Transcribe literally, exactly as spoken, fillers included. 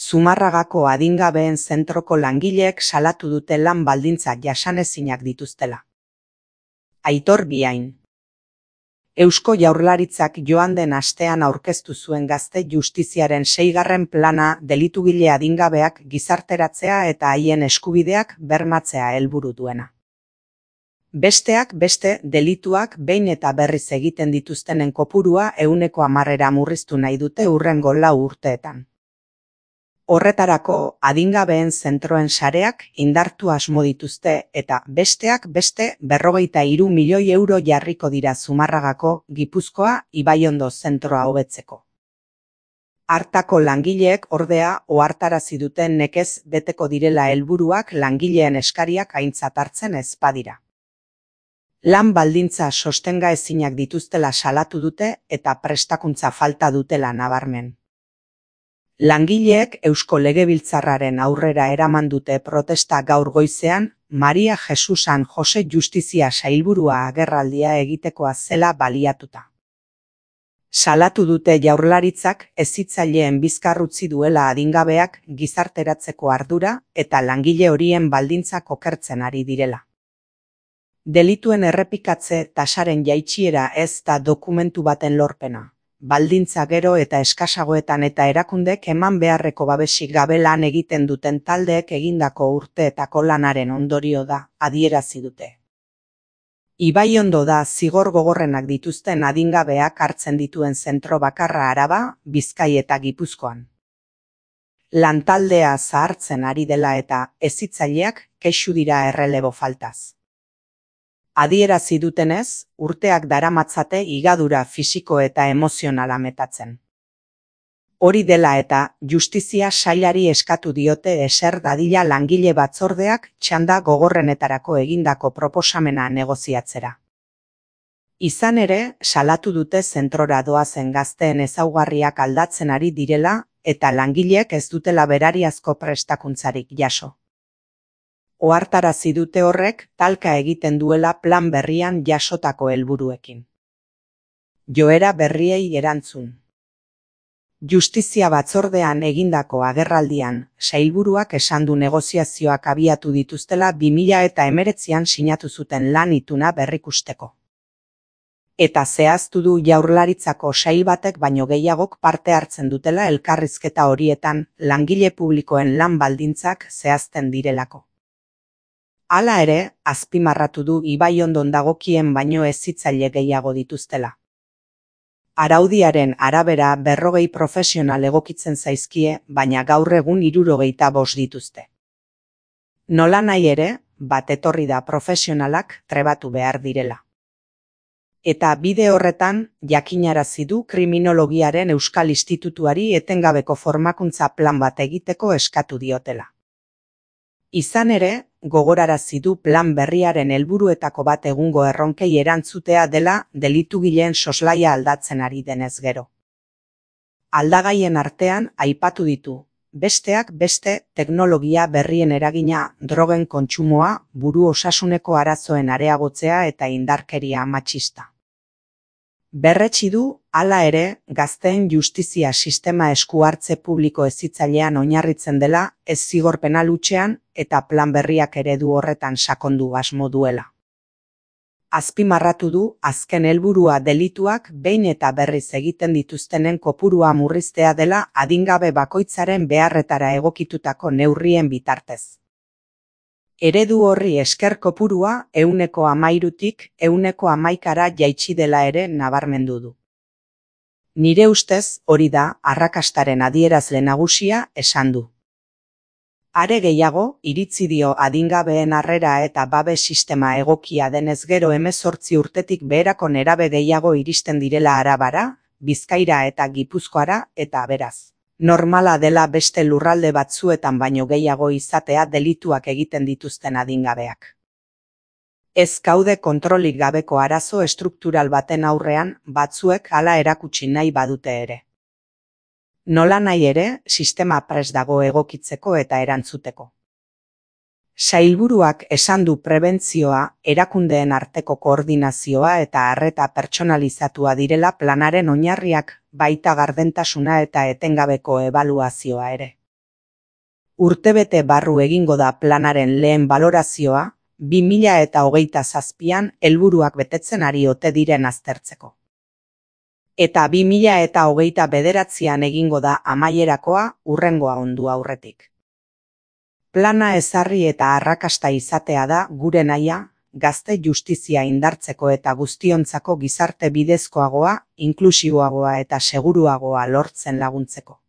Zumarragako adingabeen zentroko langileek salatu dute lan baldintza jasanezinak dituztela. Aitor Biain. Eusko Jaurlaritzak joan den astean aurkeztu zuen gazte justiziaren seigarren plana delitugile adingabeak gizarteratzea eta haien eskubideak bermatzea helburu duena. Besteak beste delituak behin eta berriz egiten dituztenen kopurua ehuneko hamarera murriztu nahi dute hurrengo lau urteetan. Horretarako adingabeen zentroen sareak indartu asmo dituzte eta besteak beste berrogeita hiru milioi euro jarriko dira Zumarragako, Gipuzkoa, Ibaiondo zentroa hobetzeko. Hartako langileek ordea ohartarazi duten nekez beteko direla helburuak langileen eskariak aintzat hartzen ez badira. Lan baldintza sostenga ezinak dituztela salatu dute eta prestakuntza falta dutela nabarmen. Langileek Eusko Legebiltzarraren aurrera eraman dute protesta gaur goizean, Maria Jesus San Jose Justizia Sailburua agerraldia egitekoa zela baliatuta. Salatu dute Jaurlaritzak hezitzaileen bizkar utzi duela adingabeak gizarteratzeko ardura eta langile horien baldintzak okertzen ari direla. Delituen errepikatze tasaren jaitsiera ez da dokumentu baten lorpena. Baldintza gero eta eskasagoetan eta erakundek eman beharreko babesik gabe lan egiten duten taldeek egindako urteetako lanaren ondorio da, adierazi dute. Ibaiondo da zigor gogorrenak dituzten adingabeak hartzen dituen zentro bakarra Araba, Bizkai eta Gipuzkoan. Lantaldea zahartzen ari dela eta hezitzaileak kexu dira errelebo faltaz. Adierazi dutenez, urteak daramatzate higadura fisiko eta emozionala metatzen. Hori dela eta justizia sailari eskatu diote eser dadila langile batzordeak txanda gogorrenetarako egindako proposamena negoziatzera. Izan ere, salatu dute zentrora doazen gazteen ezaugarriak aldatzen ari direla eta langileek ez dutela berariazko prestakuntzarik jaso. Ohartarazi dute horrek talka egiten duela plan berrian jasotako helburuekin. Joera berriei erantzun. Justizia batzordean egindako agerraldian, sailburuak esan du negoziazioak abiatu dituztela bi mila hemeretzian sinatu zuten lan ituna berrikusteko. Eta zehaztu du Jaurlaritzako sail batek baino gehiagok parte hartzen dutela elkarrizketa horietan langile publikoen lan baldintzak zehazten direlako. Hala ere, azpimarratu du Ibaiondon dagokien baino hezitzaile gehiago dituztela. Araudiaren arabera berrogei profesional egokitzen zaizkie, baina gaur egun hirurogeita bost dituzte. Nolanahi ere, bat etorri da profesionalak trebatu behar direla. Eta bide horretan, jakinarazi du Kriminologiaren Euskal Institutuari etengabeko formakuntza plan bat egiteko eskatu diotela. Izan ere, gogorarazi du plan berriaren helburuetako bat egungo erronkei erantzutea dela delitugileen soslaia aldatzen ari denez gero. Aldagaien artean aipatu ditu, besteak beste teknologia berrien eragina drogen kontsumoa, buru osasuneko arazoen areagotzea eta indarkeria matxista. Berretsi du, hala ere, gazteen justizia sistema esku hartze publiko hezitzailean oinarritzen dela, ez zigor penal hutsean eta plan berriak eredu horretan sakondu asmo duela. Azpimarratu du, azken helburua delituak behin eta berriz egiten dituztenen kopurua murriztea dela adingabe bakoitzaren beharretara egokitutako neurrien bitartez. Eredu horri esker kopurua ehuneko hamairutik ehuneko hamaikara jaitsi dela ere nabarmendu du. Nire ustez hori da arrakastaren adierazle nagusia esan du. Are gehiago, iritzi dio adingabeen harrera eta babes sistema egokia denez gero hemezortzi urtetik beherako nerabe gehiago iristen direla Arabara, Bizkaira eta Gipuzkoara eta beraz. Normala dela beste lurralde batzuetan baino gehiago izatea delituak egiten dituzten adingabeak. Ez gaude kontrolik gabeko arazo estruktural baten aurrean batzuek hala erakutsi nahi badute ere. Nolanahi ere, sistema prest dago egokitzeko eta erantzuteko. Sailburuak esan du prebentzioa, erakundeen arteko koordinazioa eta arreta pertsonalizatua direla planaren oinarriak, baita gardentasuna eta etengabeko ebaluazioa ere. Urtebete barru egingo da planaren lehen balorazioa, bi mila eta hogeita zazpian helburuak betetzen ari ote diren aztertzeko. Eta bi mila eta hogeita bederatzian egingo da amaierakoa hurrengoa ondu aurretik. Plana ezarri eta arrakasta izatea da gure nahia, gazte justizia indartzeko eta guztiontzako gizarte bidezkoagoa, inklusiboagoa eta seguruagoa lortzen laguntzeko.